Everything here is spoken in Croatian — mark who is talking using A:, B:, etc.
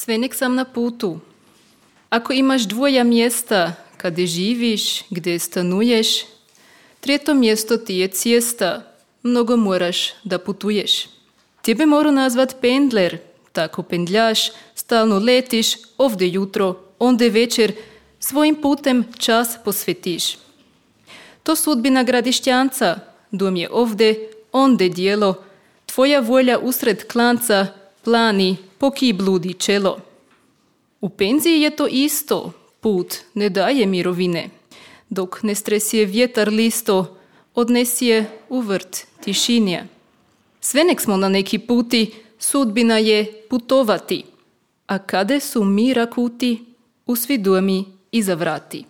A: Sve nek sam na putu. Ako imaš dvoja mjesta kada živiš, gdje stanuješ, treto mjesto ti je cesta, mnogo moraš da putuješ. Tebe moru nazvat pendler, tako pendljaš, stalno letiš, ovdje jutro, onde večer, svojim putem čas posvetiš. To sudbina Gradišćanca, dom je ovdje, onde dijelo, tvoja volja usred klanca, plani, poki bludi čelo. U penziji je to isto, put ne daje mirovine, dok ne stresije vjetar listo, odnesije u vrt tišinje. Sve nek smo na neki puti, sudbina je putovati, a kade su mira kuti, u svi domi iza vrati.